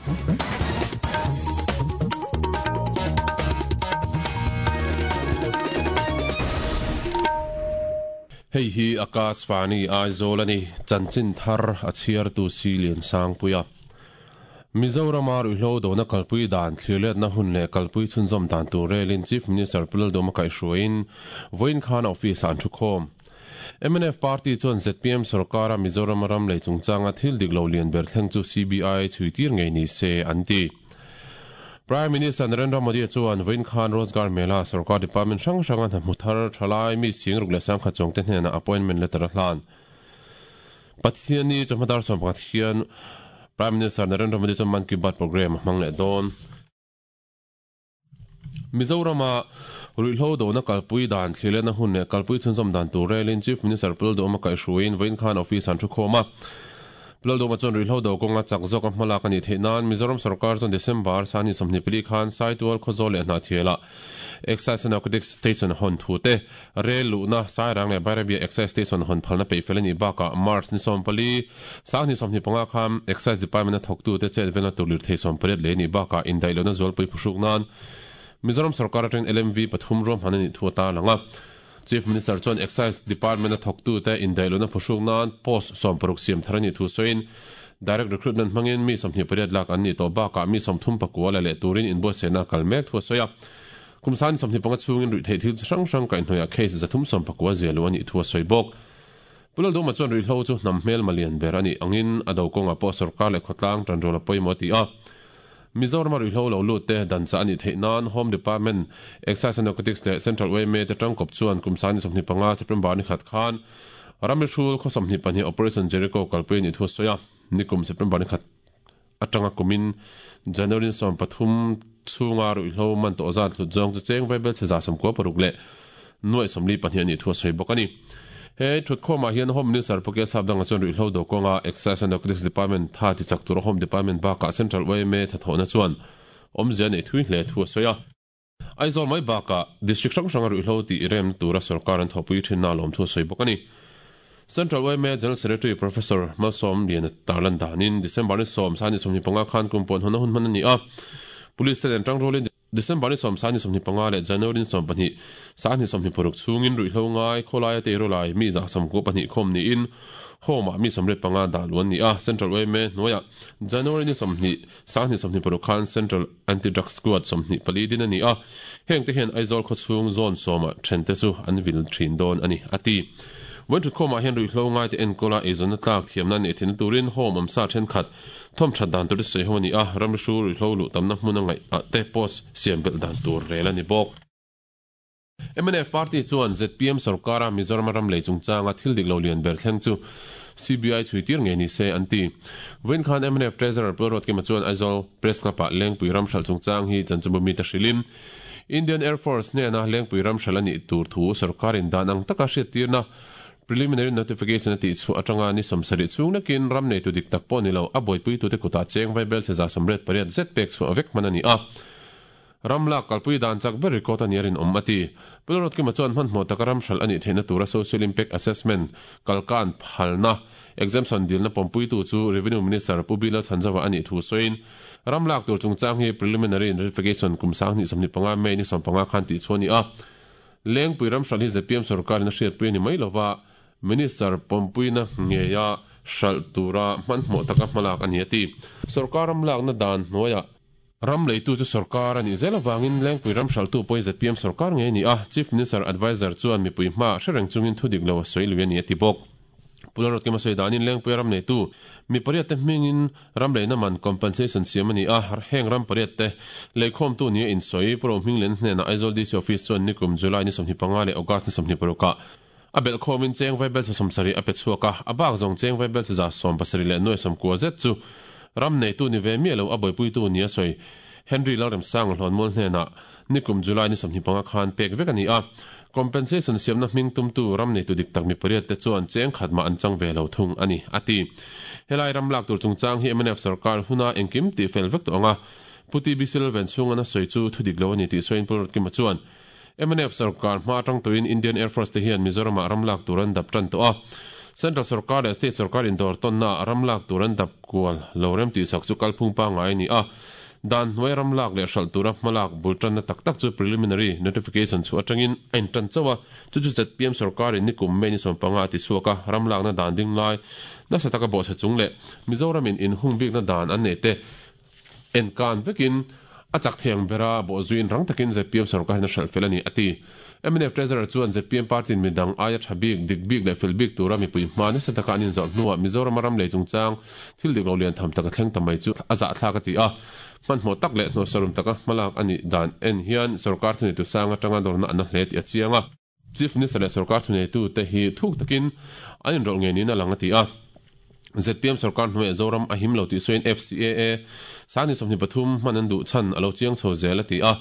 Hei hi Akashvani Aizawl a ni, chanchin thar a chhiartu si Liansangpuia. Mizorama ruihhlo dona kalpui dan thlirletna hun leh kalpui chhunzawm dan tur relin Chief Minister Pu Laldawma kaihhruaiin vawiin khan a office-ah an thukhawm. Mnf party chuan zpm sorkara Mizorama ram lei chungchanga thil dik lo lian ber thleng chu CBI chhui tir ngei ni se an ti. Prime Minister Narendra Modi chuan vawiin khan Rozgar Mela sorkar department hrang hranga hna hmu thar thalai mi sing ruk leh sangkhat chuangte hnenah appointment letter a hlan. Pathianni chawhma dar 11 hian Prime Minister Narendra Modi chuan Mann Ki Baat programme a hmang leh dawn. Mizorama ruihhlo dona kalpui dan thlirletna hun leh kalpui chhunzawm dan tur relin Chief Minister Pu Lalduhoma kaihhruaiin vawiin khan office an thukhawm a. Pu Lalduhoma chuan ruihhlo do kawnga chak zawka hmalak a nih theih nan Mizoram sorkar chuan December sani 24 khan Saitual Khawzawl leh Hnahthialah Excise and Narcotics Station hawn thu te, Rel luhna Sairang leh Bairabia Excise Station hawn phalna peih fel a nih bakah March ni 14, 2025 khan Excise Department-a thawktute chet velna tur lirthei 18 lei a nih bakah indaih lohna zualpui phuhruk nan Mizoram sorkar atangin LMV pathum ruahman a nih thu a tarlang a. Chief Minister chuan Excise Department-a thawktute indaih lohna phuhruk nan post 60 siam thar a nih thu sawiin Direct Recruitment hmangin mi 28 lak an nih tawh bakah mi 34 la leh turin inbuatsaihna a kal mek thu a sawi a. Kum 25 chhungin ruihtheih thil chi hrang hrang kaihhnawihah case 319 zia luh a nih thu a sawi bawk. Pu Lalduma chuan ruihhlo chu hnam hmelma lian ber a nih angin a do kawngah pawh sorkar leh khawtlang tanrual a pawimawh a ti a. Mizorama ruihhlo lo lut te dan chah a nih theih nan Home Department, Excise and Narcotics leh Central yma te tangkawp chuan kum 25 September ni khat khan ramri hrul khaw 22 Operation Jericho kalpui a nih thu a sawi a. Nikum September ni khat atanga kumin January 13 chhunga ruihhlo man tawh zat hlut zawng chu cheng vaibel chhe 96 leh nuaih 42 a nih thu a sawi bawk a ni. He thutkhawmah hian Home Minister Pu Kesap Danga chuan ruihhlo do kawnga Excise and Narcotics Department tha ti chak tura Home Department bakah Central yma thathawhna chuan awmzia neih thui hle thu a sawi a. Aizawl mai bakah District hrang hranga ruihhlo tih remna tura sorkar an thawhpui thinna a lawm thu a sawi bawk a ni. Central yma General Secretary Professor Malsawm Liana tarlan danin December ni 10 2025 khan kum pawn hawnna hun hman a ni a. Police te nen tangrualin December ni 10 2025 leh January ni 12 2026 chhungin ruihhlo ngai khawlaia teirawlai mi 92 khawm niin Home-ah mi 85 dah luh an ni a. Central yma hnuaiah January ni 20 2026 khan Central Anti-Drug Squad 24 din a ni a, hengte hian Aizawl khawchhung zone sawma thente chu an vil thin dawn a ni, a ti. Vawiin thutkhawmah hian ruihhlo ngaite enkawla eizawnna tlak thiamna neih theihna turin home awmsa thenkhat thawm that dan tur te sawi ho a ni a, ramri hru ruihhlo luh tamna hmun a ngaih ah te post siam belh dan tur rel a ni bawk. Mnf party chuan zpm sorkara Mizoram ram lei chungchanga thil dik lo lian ber thleng chu CBI chhui tir ngei ni se an ti. Vawiin khan mnf Treasurer Pu Ruatkima chuan Aizawl Press Club-ah Lengpui ram hralh chungchang hi chanchinbu mite hrilhin Indian Air Force hnena Lengpui ram hralh a nih tur thu sorkarin dan ang taka hriattirna preliminary notification a tihchhuah atanga ni 70 chhung lekin ram neitu dik tak pawh ni lo a buaipuitute kutah cheng vaibel che 188 zet pek chhuah vek hman a ni a. Ram lak kalpui dan chak ber record a nih a rinawm a ti. Pu Lalruatkima chuan hmanhmawh taka ram hralh a nih theihna tura Social Impact Assessment kalkan phalna exemption dilna pawmpuitu chu Revenue Minister Pu Bilal Chhanzova a nih thu sawiin ram lak tur chungchang hi preliminary notification kum 2025 May ni 15 khan tihchhuah a ni a. Lengpui ram hralh hi zpm sorkarin a hriatpui a ni mai lova, Minister pawmpuina ngeia hralh tura hmanhmawh taka hmalak a ni a ti. Sorkar ram lakna dan hnuaiah Ram leitu chu sorkar a nih zel avangin Lengpui ram hralhtu pawhin zpm sorkar ngei a ni a, Chief Minister Adviser chuan mipui hmaah hre reng chungin thu dik lo a sawi lui a ni a ti bawk. Pu Lalruatkima sawi danin Lengpui ram neitu mi pariat te hmingin ram leina man compensation siam a ni a, heng ram pariat te leikhawmtu nia insawi Pu Rohminglen hnenah Aizawl DC Office chuan nikum July ni 25 leh August ni 26 ah a belhkhawmin cheng vaibel chhe 70 a pe chhuak a, a bak zawng cheng vaibel chhe 70 leh nuai 90 zet chu ram neitu ni ve miah lo a buaipuitu nia sawi Henry Lalremsanga Hlawnmual hnenah nikum July ni 25 khan pek vek a ni a. Compensation siamna hming tumtu ram neitu dik tak mi pariat te chuan cheng khat mah an chang ve lo thung a ni, a ti. Helai ram lak tur chungchang hi mnf sarkar huna engkim tih fel vek tawh ang a, Pu TB Silvan chhunga na sawi chu thu dik lo a ni tih sawiin Pu Ruatkima chuan, Mnf sarkar hma atang tawhin Indian Air Force te hian Mizoramah ram lak tur an dap tan tawh a. Central sorkar leh state sorkar indawr tawnna ah ram lak tur an dap kual lo rem tihsak chu kalphung pangngai a ni a. Dan hnuai ram lak leh hralh tura hmalak bul tanna tak tak chu preliminary notification chhuah atangin a intan chauh a, chu chu ZPM sorkarin nikum May ni 15 a tichhuak a, ram lakna dan ding lai nasa taka bawhchhe chung leh Mizoramin inhung bikna dan an neih te enkan vekin a chak thei ang bera bawhzuiin rang takin ZPM sorkar hian a hralh fel a ni, a ti. Mnf Treasurer chuan ZPM party-in midang aia tha bik, dik bik leh fel bik tura mipui hma nasa taka an inzawrh hnuah Mizorama ram lei chungchang thil dik lo lian tham taka thleng ta mai chu a zahthlak a ti a. Hmanhmawh tak leh hnawhsarum taka hmalak a nih dan en hian sorkar thuneitu sang atanga dawrna a na hle tih a chiang a. Chief Minister leh sorkar thuneitute hi thuk takin an inrawlh ngei niin a lang a ti a. ZPM sorkar hnuaiah Zoram a him lo tih sawiin FCAA Sangni 23 hman an duh chhan a lo chiang chho zel a ti a.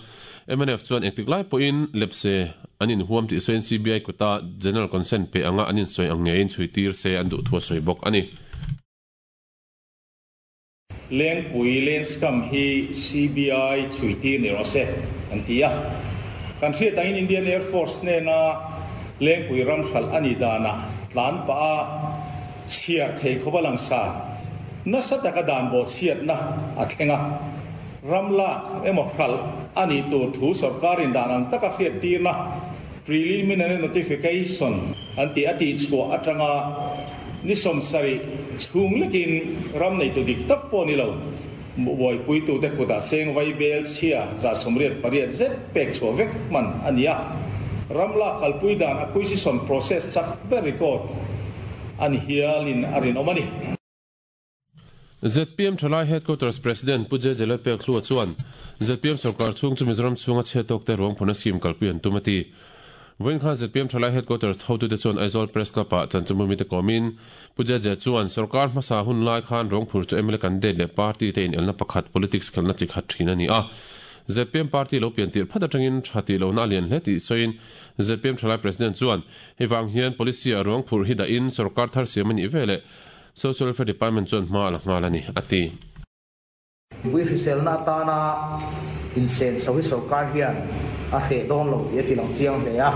Mnf chuan engtik lai pawhin lepse an inhuam tih sawiin CBI kuta General Consent pe anga an insawi ang ngeiin chhui tir se an duh thu a sawi bawk a ni. Lengpui Lenscam hi CBI chhuitir ni rawh se, an ti a. Kan hriat angin Indian Air Force hnena Lengpui ram hralh a nih danah tlan pah a chhiar thei khawp a langsar nasa taka dan bawhchhiatna a thleng a. Ram lak emaw hralh a nih tur thu sorkarin dan ang taka hriattirna Preliminary Notification an tih a tihchhuah atanga ni 70 chhung lekin ram neitu dik tak pawh ni lo, buaipuitute kutah cheng vai bel chhia 88% zet pek chhuah vek hman a ni a. Ram lak kalpui dan acquisition process chak ber record a ni hialin a rinawm a ni. Zpm Thalai Headquarters President Pu JJ Lalpekhlua chuan zpm sorkar chhung chu Mizoram chhunga chhe tawkte ruang phurna scheme kalpui an tum a ti. Vawiin khan zpm Thalai Headquarters hotute chuan Aizawl Press Club-ah chanchinbu mite kawmin Pu JJ chuan sorkar hmasa hun lai khan ruang phur chu mla candidate leh party te inelna pakhat politics khelhna chi khat thin a ni a. Zpm party lo pian tirh phat atangin tha tih lohna a lian hle tih sawiin zpm Thalai President chuan hei vang hian policy-ah ruang phurh hi dahin sorkar thar siam a nih veleh Social Welfare Department chuan hma a la nghal a ni, a ti. Mipui hriselna atana insenso hi sorkar hian a hreh dawn lo tih a ti lang chiang hle a.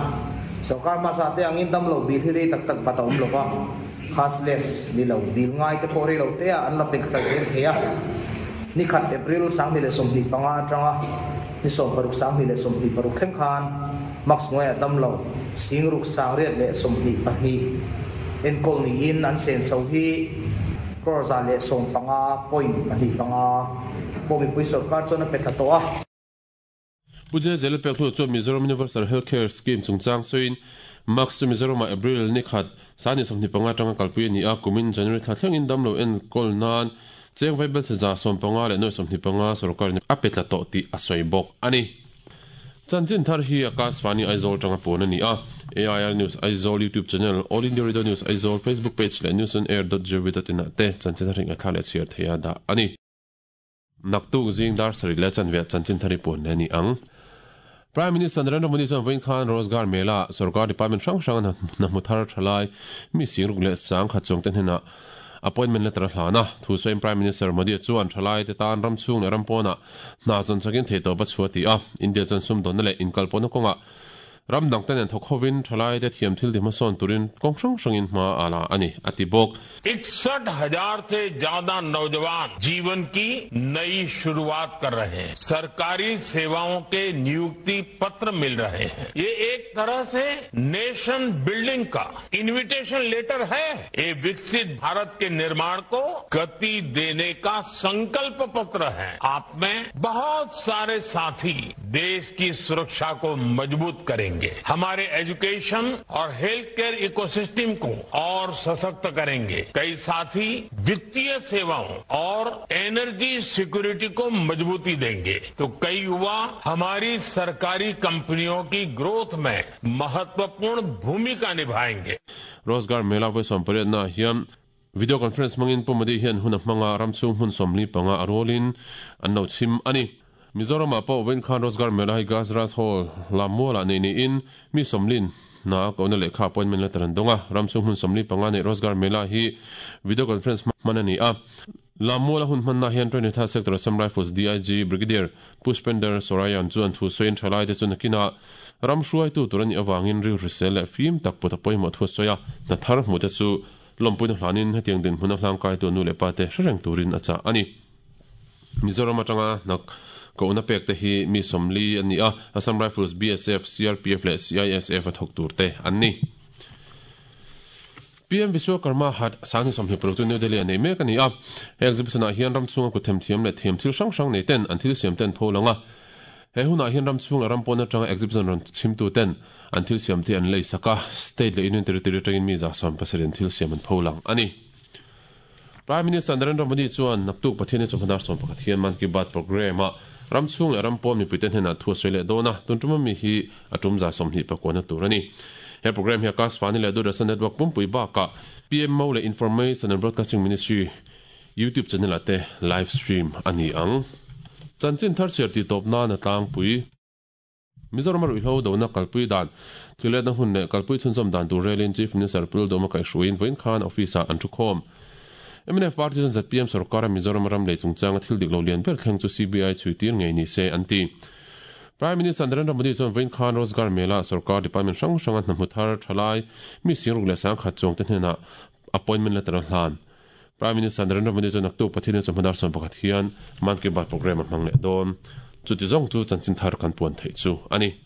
Sorkar hmasa te angin damlo bil hi rei tak tak bat a awm lo va, cashless ni lo bil ngai te pawh rei lo te ah an la pek tlai zel thei a. Ni khat April 2025 atanga ni 16 2026 thleng khan Max hnuaiah damlo singruk 822 enkawl niin an senso hi crore 115.25 pawh mipui sorkar chuan a pe thla tawh a. Pu JJ Lalpekhlua chuan Mizoram Universal Health Care Scheme chungchang sawiin Max chu Mizoramah April ni khat 2025 atanga kalpui a ni a, kumin January thla thlengin damlo enkawl nan cheng vaibelchhe 115 leh nuai 25 sorkarin a pe tla tawh tih a sawi bawk a ni. Chanchin thar hi Akashvani Aizawl tanga pawn a ni a, AIR News Aizawl YouTube channel, All India Radio News Aizawl Facebook page leh newsonair.gov.in ah te chanchin thar hi ngaithla leh chhiar theia dah a ni. Naktuk zing dar sarih leh chanve ah chanchin thar hi puan leh a ni ang. Prime Minister Narendra Modi chuan vawiin khan Rozgar Mela ah sorkar department hrang hranga hna hmu thar thalai mi singruk leh sangkhat chuangte hnenah appointment letter a hlan a. Thu sawiin Prime Minister Modi chuan thalaite tan ram chhung leh ram pawnah Hna chuan chakin theihtawp a chhuah ti a, India chuan sumdawnna leh inkalpawhna kawngah ram dangte nen thawk hovin thalaite thiam thil ti hmasawn turin kawng hrang hrangin hma a la a ni, a ti bawk. इकसठ हजार से ज्यादा नौजवान जीवन की नई शुरुआत कर रहे हैं सरकारी सेवाओं के नियुक्ति पत्र मिल रहे हैं ये एक तरह से नेशन बिल्डिंग का इनविटेशन लेटर है ये विकसित भारत के निर्माण को गति देने का संकल्प पत्र है आप में बहुत सारे साथी देश की सुरक्षा को मजबूत करेंगे हमारे एजुकेशन और health care ecosystem को और सशक्त करेंगे कई साथी वित्तीय सेवाओं और एनर्जी सिक्योरिटी को मजबूती देंगे तो कई युवा हमारी सरकारी कंपनियों की ग्रोथ में महत्वपूर्ण भूमिका निभाएंगे Rozgar Mela vawi 18 na hian Video conference hmangin Pu Modi hian hun a hmang a, ram chhung hmun 45 a rualin an lo chhim a ni. Mizoramah pawh vawiin khan Rozgar Mela hi Gajraj Hall lam mualah neih niin mi sawmlin hna a kohna lehkha appointment letter an dawng a, ram chhung hmun 45 neih Rozgar Mela hi video conference hman a ni a. Lam muala hun hmanna hian Twenty-third Sector Assam Rifles DIG Brigadier Pushpender Sorayan chuan thu sawiin thalaite chu nakinah ram hruaitu tur a nih avangin rilhrisel leh fim tak put a pawimawh thu a sawi a, hna thar hmuhte chu Lawmpuina hlanin hetiang dinhmun a hlangkaitu a nu leh pa te hre reng turin a chah a ni. Mizoram atanga hna kohna pek te hi mi 40 an ni a, Assam Rifles, BSF, CRPF leh CISF a thawk tur te an ni. PM Vishwakarma Hat 2026 chu New Delhi ah nei mek a ni a. He exhibition ah hian ram chhunga kut themthiam leh thiam thil hrang hrang nei ten an thil siam te an pho lang a. He hunah hian ram chhung leh ram pawn atanga exhibition rawn chhimtu ten an thil siam te an lei sak a, state leh union territory atangin mi 70 in thil siam an pho lang a ni. Prime Minister Narendra Modi chuan naktuk Pathianni chawhma dar 11 hian Mann Ki Baat programme ah ram chhung leh ram pawn mipuite hnenah thu a sawi leh dawn a, tun tuma mi hi a tum 29 na tur a ni. He programme hi Akashvani leh Doordarshan Network pumpui bakah PMO leh Information and Broadcasting Ministry YouTube channel ah te live stream a ni ang. Chanchin thar chhiar tih tawp nan a tlangpui. Mizoram a ruihhlo dona kalpui dan, thilletna hun leh kalpui chhunzawm dan tur relin Chief Minister Pu Lalduhoma kaihhruaiin vawiin khan office ah an thukhawm. Mnf party chuan zpm sorkara Mizoram ram lei chungchanga thil dik lo lian ber thleng chu CBI chhui tir ngei ni se an ti. Prime Minister Narendra Modi chuan vawiin khan Rozgar Mela sorkar department hrang hranga hna hmu thar thalai mi singruk leh sangkhat chuangte hnenah appointment letter a hlan. Prime Minister Narendra Modi chuan naktuk Pathian chawhma dar 11 hian Mann Ki Baat programme a hmang leh dawn. Chuti zawng chu chanchin thar kan puan theih chu a ni.